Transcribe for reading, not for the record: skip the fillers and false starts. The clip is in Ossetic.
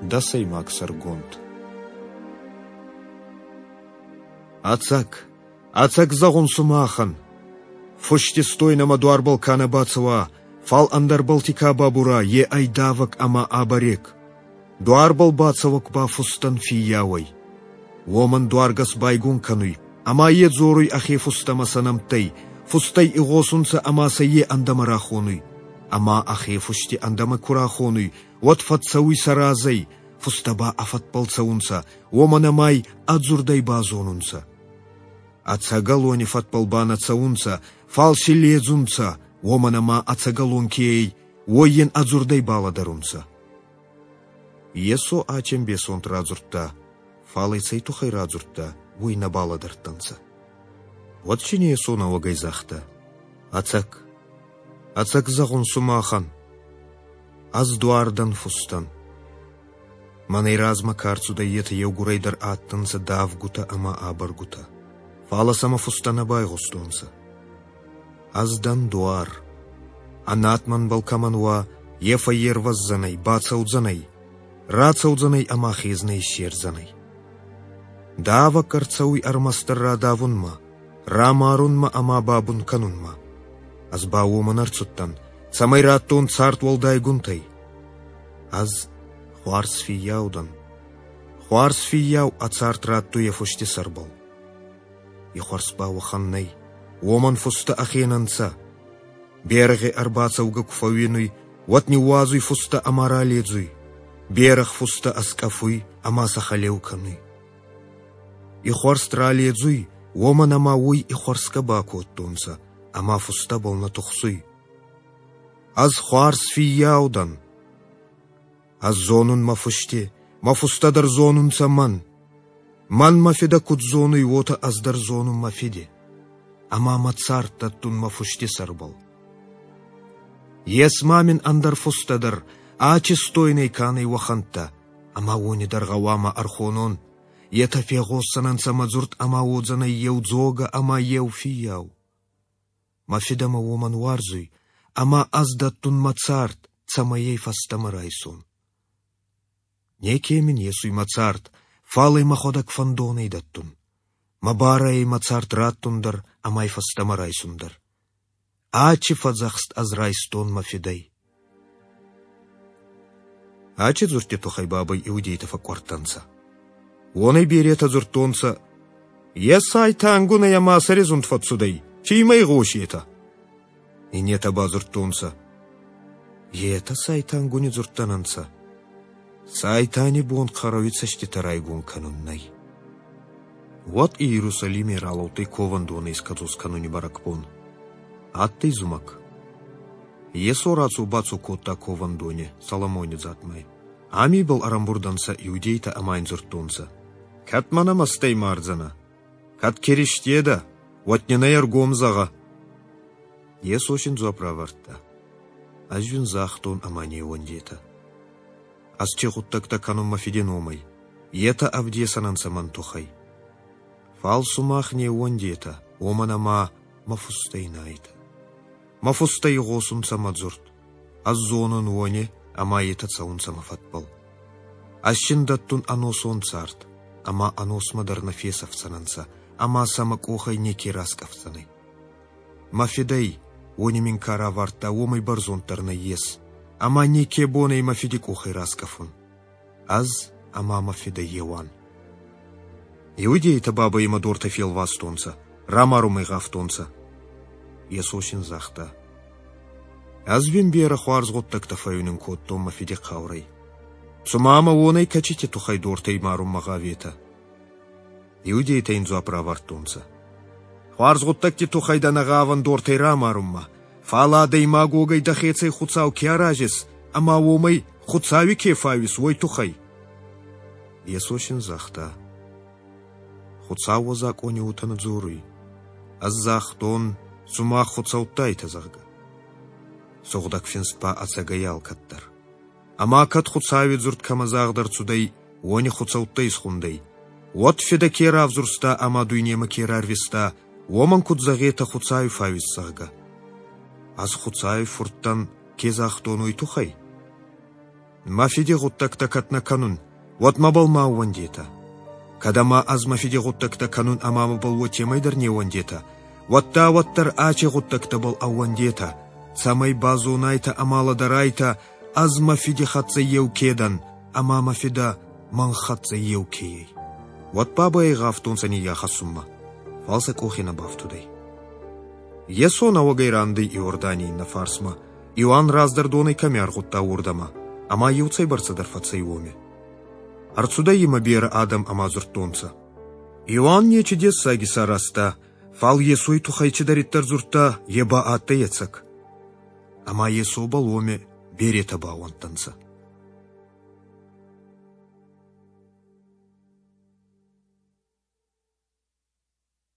Дӕсӕймаг сӕргонд. Ӕцӕг, ӕцӕг зӕгъун сумахӕн, фусти стойнӕмӕ дуарбӕл ка нӕ бацӕуа, фал ӕндӕрбӕлти ка бабура, е ӕй давӕг ӕма абӕрег. Дуарбӕл бацӕуӕг ба фустӕн фиййау ӕй. Уомӕн дуаргӕс байгон кӕнуй, ӕма е дзоруй ӕхе фустӕмӕ сӕ нӕмттӕй, фустӕй игъосунцӕ ӕма сӕ е ӕндӕмӕ рахонуй. Ӕма ӕхе фусти ӕндӕмӕ ку рахонуй, уӕд фӕццӕуй сӕ разӕй, фустӕ ба ӕ фӕдбӕл цӕунцӕ, уомӕн ӕма ӕй ӕ дзурдӕй базонунцӕ. Ӕцӕгӕлони фӕдбӕл ба нӕ цӕунцӕ, фал си ледзунцӕ, уомӕн ӕма ӕцӕгӕлон ке ӕй, уой ин ӕ дзурдӕй балӕдӕрунцӕ. Йесо ӕ ӕмбесонд радзурдта, фал ӕй цӕй туххӕй радзурдта, уой нӕ балӕдӕрдтӕнцӕ. Уӕд син Йесо нӕуӕгӕй загъта: Ӕцӕг, ӕцӕг зӕгъун сумахӕн, ӕз дуар дӕн фустӕн. Мӕнӕй размӕ ка рцудӕй, етӕ еугурӕй дӕр адтӕнцӕ давгутӕ ӕма абӕргутӕ, фалӕ сӕмӕ фустӕ нӕ байгъустонцӕ. Ӕз дӕн дуар. Ӕ над мӕнбӕл кӕмӕн уа, е фӕййервӕздзӕнӕй, бацӕудзӕнӕй, рацӕудзӕнӕй ӕма хезнӕ иссердзӕнӕй. Давӕг ӕрцӕуй ӕрмӕстдӕр радавунмӕ, рамарунмӕ ӕма бабун кӕнунмӕ. Ӕз ба уомӕн ӕрцудтӕн, цӕмӕй раттон цард уӕлдайгунтӕй. Ӕз хуарз фиййау дӕн. Хуарз фиййау ӕ цард раттуй ӕ фусти сӕрбӕл. И хуарз ба уӕхӕн нӕй, уомӕн фустӕ ӕхе нӕ нцӕ. Берӕгъи ӕрбацӕугӕ ку фӕууинуй, уӕд ниууадзуй фустӕ ӕма раледзуй. Берӕгъ фустӕ ӕскъӕфуй ӕма сӕ хӕлеу кӕнуй. Ихуӕрст раледзуй, уомӕн ӕма уой ихуӕрсгӕ бакодтонцӕ, ӕма фустӕбӕл нӕ тухсуй. Ӕз хуарз фиййау дӕн. Ӕз зонун мӕ фусти, мӕ фустӕ дӕр зонунцӕ мӕн. Мӕн мӕ фидӕ куд зонуй, уотӕ ӕз дӕр зонун мӕ фиди. Ӕма мӕ цард дӕттун мӕ фусти сӕрбӕл. Ес ма мин ӕндӕр фустӕ дӕр, ачистойнӕй ка нӕй, уӕхӕнттӕ, ӕма уони дӕр гъӕуама ӕрхонон. Етӕ фегъосдзӕнӕнцӕ мӕ дзурд ӕма уодзӕнӕй еу дзогӕ ӕма еу фиййау. Мӕ фидӕ мӕ уомӕн уарзуй, ӕма ӕз дӕттун мӕ цард, цӕмӕй ӕй фӕстӕмӕ райсон. Неке мин есуй мӕ цард, фал ӕй мӕхуӕдӕг фӕндонӕй дӕттун. Мӕ барӕ ӕй мӕ цард раттун дӕр ӕма ӕй фӕстӕмӕ райсун дӕр. Ачи фӕдзӕхст ӕз райстон мӕ фидӕй. Ачи дзурдти туххӕй бабӕй иудейтӕ фӕкъкъуӕрдтӕнцӕ. Уонӕй беретӕ дзурдтонцӕ: Е сайтангунӕй ӕма сӕри зунд фӕццудӕй, ци имӕ игъосетӕ? Иннетӕ ба дзурдтонцӕ: Етӕ сайтангуни дзурдтӕ нӕ нцӕ. Сайтани бон хъӕрӕуи цӕститӕ райгон кӕнун нӕй. Уӕд Иерусалими ралӕудтӕй ковӕндонӕ искӕдзос кӕнуни бӕрӕгбон. Адтӕй зумӕг. Йесо рацо-бацо кодта ковӕндони Соломони дзатмай. Ами ибӕл ӕрӕмбурд ӕнцӕ иудейтӕ ӕма ин дзурдтонцӕ: Кӕд ма нӕ мӕстӕй мардзӕнӕ? Кӕд Киристе дӕ, уӕд нин ӕй ӕргом зӕгъӕ. Йесо син дзуапп равардта: Ӕз уин загътон ӕма не ууӕндетӕ. Ӕз ци гъуддӕгтӕ кӕнун мӕ Фиди номӕй, етӕ ӕвдесӕн ӕнцӕ мӕн туххӕй. Фал сумах не ууӕндетӕ, уомӕн ӕма мӕ фустӕй нӕ айтӕ. Мӕ фустӕ игъосунцӕ мӕ дзурд. Ӕз зонун уони, ӕма етӕ цӕунцӕ мӕ фӕдбӕл. Ӕз син дӕттун ӕносон цард, ӕма ӕносмӕ дӕр нӕ фесӕфдзӕнӕнцӕ, ӕма сӕ мӕ къохӕй неке раскъӕфдзӕнӕй. Мӕ фидӕй, уони мин ка равардта, уомӕй бӕрзонддӕр нӕййес, ӕма неке бон ӕй мӕ фиди къохӕй раскъӕфун. Ӕз ӕма мӕ фидӕ еу ан. Иудейтӕ бабӕй имӕ дортӕ фелвастонцӕ, рамарунмӕ гъавтонцӕ. Йесо син загъта: Ӕз уин берӕ хуарз гъуддӕгтӕ фӕууинун кодтон мӕ фиди хъаурӕй. Цума мӕ уонӕй кӕцити туххӕй дортӕй марунмӕ гъаветӕ? Иудейтӕ ин дзуапп равардтонцӕ: Хуарз гъуддӕгти туххӕй дӕ нӕ гъавӕн дортӕй рамарунмӕ, фал адӕймаг уогӕй дӕхецӕй Хуцау ке аразис ӕма уомӕй Хуцауи ке фауис, уой туххӕй. Йесо син загъта: Хуцау уӕ закъони уотӕ нӕ дзоруй. Ӕз загътон, сумах хуцӕуттӕ айтӕ, зӕгъгӕ. Сугъдӕг Финст ба ӕцӕгӕй алкӕддӕр. Ӕма кӕд Хуцауи дзурд кӕмӕ загъд ӕрцудӕй, уони хуцӕуттӕ исхундӕй, уӕд Фидӕ ке равзурста ӕма дуйнемӕ ке рарвиста, уомӕн куд зӕгъетӕ Хуцауи фауис, зӕгъгӕ? Ӕз Хуцауи фурт дӕн, ке загътон, уой туххӕй? Мӕ Фиди гъуддӕгтӕ кӕд нӕ кӕнун, уӕд мӕбӕл ма ӕууӕндетӕ. Кӕд ӕма ӕз мӕ Фиди гъуддӕгтӕ кӕнун ӕма мӕбӕл уотемӕй дӕр не ууӕндетӕ, уӕдта уӕддӕр ачи гъуддӕгтӕбӕл ӕууӕндетӕ, цӕмӕй базонайтӕ ӕма лӕдӕрайтӕ, ӕз мӕ Фиди хӕццӕ еу ке дӕн, ӕма мӕ Фидӕ мӕн хӕццӕ еу ке ӕй. Уӕд бабӕй гъавтонцӕ ниййахӕссунмӕ, фал сӕ къохи нӕ бафтудӕй. Йесо нӕуӕгӕй рандӕй Иорданий иннӕ фарсмӕ, Иоанн раздӕр донӕй кӕми аргъудта, уордӕмӕ, ӕма еуцӕйбӕрцӕдӕр фӕцӕй уоми. Ӕрцудӕй имӕ берӕ адӕм ӕма дзурдтонцӕ: Иоанн нечи дессаг исаразта, фал Йесой туххӕй цидӕриддӕр дзурдта, е ба адтӕй ӕцӕг. Ӕма Йесобӕл уоми беретӕ баууӕндтӕнцӕ.